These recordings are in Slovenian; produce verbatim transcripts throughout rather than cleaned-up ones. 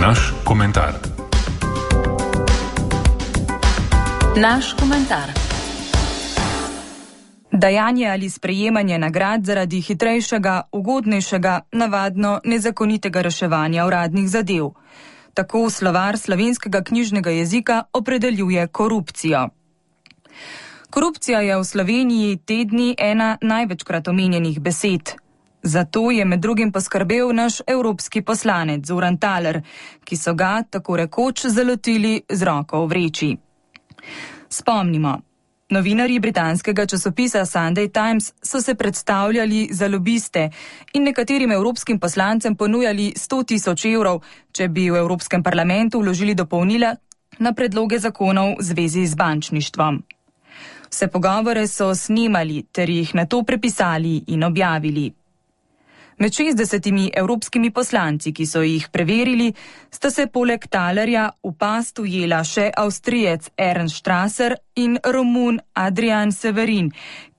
Naš komentar. Naš komentar. Dajanje ali sprejemanje nagrad zaradi hitrejšega, ugodnejšega, navadno nezakonitega reševanja uradnih zadev. Tako slovar slovenskega knjižnega jezika opredeljuje korupcijo. Korupcija je v Sloveniji te dni ena največkrat omenjenih besed. Zato je med drugim poskrbel naš evropski poslanec Zoran Thaler, ki so ga tako rekoč zalotili z roko v vreči. Spomnimo, novinarji britanskega časopisa Sunday Times so se predstavljali za lobiste in nekaterim evropskim poslancem ponujali sto tisoč evrov, če bi v Evropskem parlamentu vložili dopolnila na predloge zakonov v zvezi z bančništvom. Vse pogovore so snimali ter jih nato prepisali in objavili. Med šestdesetimi evropskimi poslanci, ki so jih preverili, sta se poleg Thalerja v past ujela še Avstrijec Ernst Strasser in Romun Adrian Severin,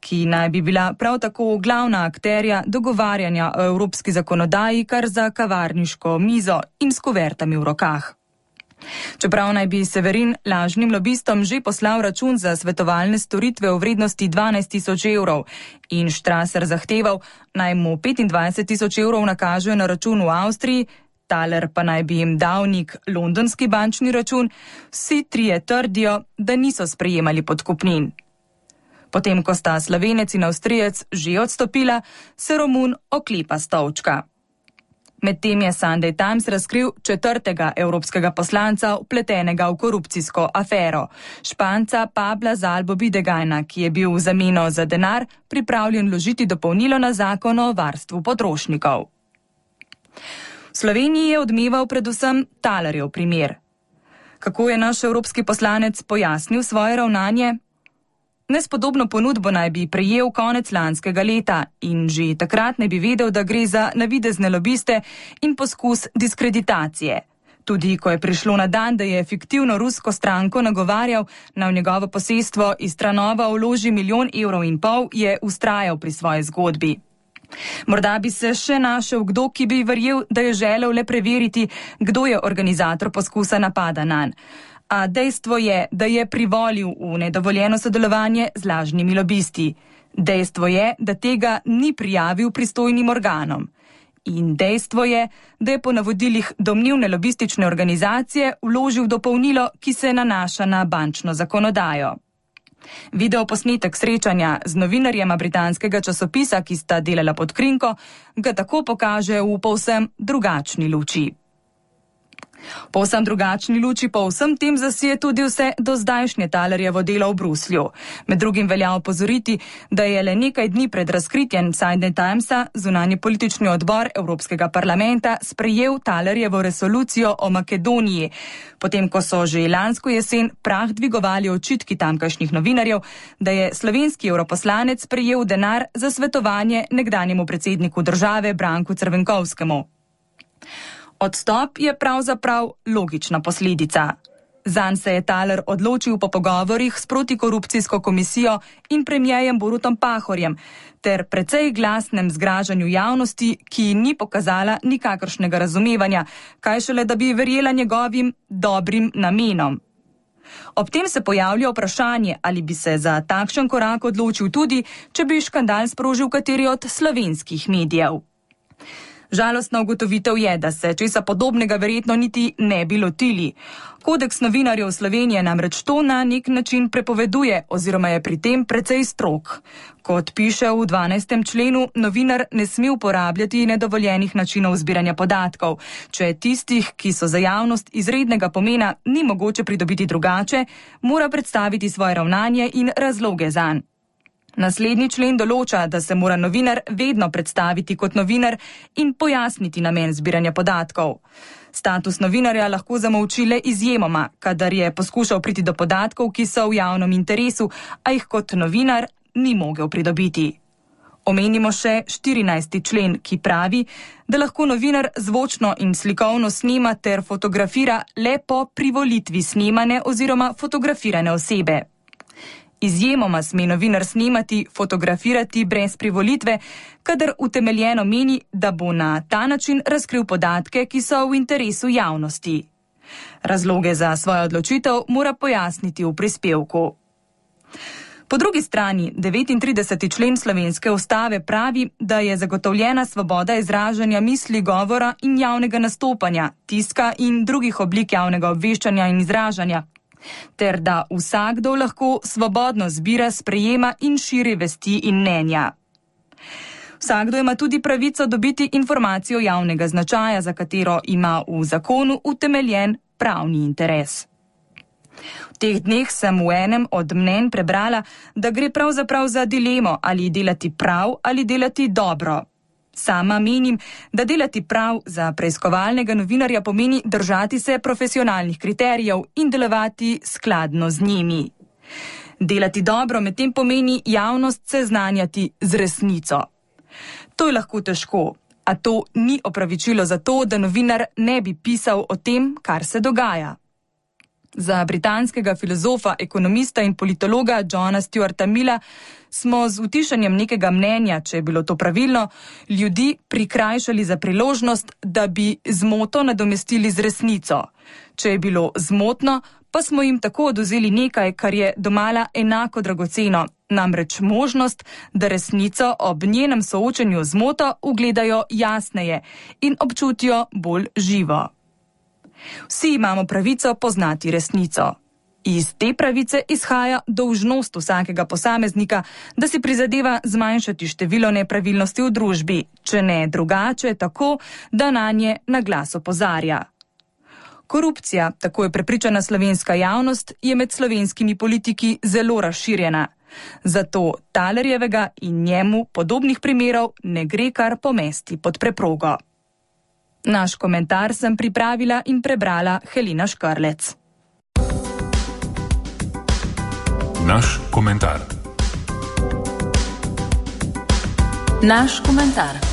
ki naj bi bila prav tako glavna akterja dogovarjanja o evropski zakonodaji kar za kavarniško mizo in s kuvertami v rokah. Čeprav naj bi Severin lažnim lobistom že poslal račun za svetovalne storitve v vrednosti dvanajst tisoč evrov in Strasser zahteval, naj mu petindvajset tisoč evrov nakažejo na račun v Avstriji, Thaler pa naj bi jim dal nek londonski bančni račun, vsi trije trdijo, da niso sprejemali podkupnin. Potem, ko sta Slovenec in Avstrijec že odstopila, se Romun oklepa stolčka. Medtem je Sunday Times razkril četrtega evropskega poslanca vpletenega v korupcijsko afero, Španca Pabla Zalbo Bidegajna, ki je bil v zameno za denar pripravljen vložiti dopolnilo na zakon o varstvu potrošnikov. V Sloveniji je odmeval predvsem Thalerjev primer. Kako je naš evropski poslanec pojasnil svoje ravnanje? Nespodobno ponudbo naj bi prejel konec lanskega leta in že takrat ne bi vedel, da gre za navidezne lobiste in poskus diskreditacije. Tudi ko je prišlo na dan, da je fiktivno rusko stranko nagovarjal, na v njegovo posestvo iz Tranova vloži milijon evrov in pol, je vztrajal pri svoji zgodbi. Morda bi se še našel kdo, ki bi verjel, da je želel le preveriti, kdo je organizator poskusa napada nanj. A dejstvo je, da je privolil v nedovoljeno sodelovanje z lažnimi lobisti. Dejstvo je, da tega ni prijavil pristojnim organom. In dejstvo je, da je po navodilih domnevne lobistične organizacije vložil dopolnilo, ki se nanaša na bančno zakonodajo. Video posnetek srečanja z novinarjema britanskega časopisa, ki sta delala pod krinko, ga tako pokaže v povsem drugačni luči. Povsem drugačni luči po vsem tem zasije tudi vse do zdajšnje Thalerjevo delo v Bruslju. Med drugim velja opozoriti, da je le nekaj dni pred razkritjem Sunday Timesa zunanji politični odbor Evropskega parlamenta sprejel Thalerjevo resolucijo o Makedoniji, potem ko so že lansko jesen prah dvigovali očitki tamkajšnjih novinarjev, da je slovenski europoslanec prejel denar za svetovanje nekdanjemu predsedniku države Branku Crvenkovskemu. Odstop je pravzaprav logična posledica. Zanj se je Thaler odločil po pogovorih s protikorupcijsko komisijo in premierjem Borutom Pahorjem ter precej glasnem zgražanju javnosti, ki ni pokazala nikakršnega razumevanja, kaj šele da bi verjela njegovim dobrim namenom. Ob tem se pojavlja vprašanje, ali bi se za takšen korak odločil tudi, če bi škandal sprožil kateri od slovenskih medijev. Žalostna ugotovitev je, da se česa podobnega verjetno niti ne bi lotili. Kodeks novinarjev Slovenije namreč to na nek način prepoveduje oziroma je pri tem precej strog. Kot piše v dvanajstem členu, novinar ne sme uporabljati nedovoljenih načinov zbiranja podatkov. Če tistih, ki so za javnost izrednega pomena, ni mogoče pridobiti drugače, mora predstaviti svoje ravnanje in razloge zanj. Naslednji člen določa, da se mora novinar vedno predstaviti kot novinar in pojasniti namen zbiranja podatkov. Status novinarja lahko zamolči le izjemoma, kadar je poskušal priti do podatkov, ki so v javnem interesu, a jih kot novinar ni mogel pridobiti. Omenimo še štirinajsti člen, ki pravi, da lahko novinar zvočno in slikovno snema ter fotografira le po privolitvi snemane oziroma fotografirane osebe. Izjemoma sme novinar snemati, fotografirati brez privolitve, kadar utemeljeno meni, da bo na ta način razkril podatke, ki so v interesu javnosti. Razloge za svojo odločitev mora pojasniti v prispevku. Po drugi strani, devetintrideseti člen slovenske ustave pravi, da je zagotovljena svoboda izražanja misli, govora in javnega nastopanja, tiska in drugih oblik javnega obveščanja in izražanja, ter da vsakdo lahko svobodno zbira, sprejema in širi vesti in mnenja. Vsakdo ima tudi pravico dobiti informacijo javnega značaja, za katero ima v zakonu utemeljen pravni interes. V teh dneh sem v enem od mnenj prebrala, da gre pravzaprav za dilemo, ali delati prav ali delati dobro. Sama menim, da delati prav za preiskovalnega novinarja pomeni držati se profesionalnih kriterijev in delovati skladno z njimi. Delati dobro medtem pomeni javnost seznanjati z resnico. To je lahko težko, a to ni opravičilo za to, da novinar ne bi pisal o tem, kar se dogaja. Za britanskega filozofa, ekonomista in politologa Johna Stuarta Milla smo z utišanjem nekega mnenja, če je bilo to pravilno, ljudi prikrajšali za priložnost, da bi zmoto nadomestili z resnico. Če je bilo zmotno, pa smo jim tako odvzeli nekaj, kar je domala enako dragoceno, namreč možnost, da resnico ob njenem soočenju z zmoto ugledajo jasneje in občutijo bolj živo. Vsi imamo pravico poznati resnico. Iz te pravice izhaja dolžnost vsakega posameznika, da si prizadeva zmanjšati število nepravilnosti v družbi, če ne drugače tako, da nanje na glas opozarja. Korupcija, tako je prepričana slovenska javnost, je med slovenskimi politiki zelo razširjena. Zato Talerjevega in njemu podobnih primerov ne gre kar pomesti pod preprogo. Naš komentar sem pripravila in prebrala Helena Škrlec. Naš komentar. Naš komentar.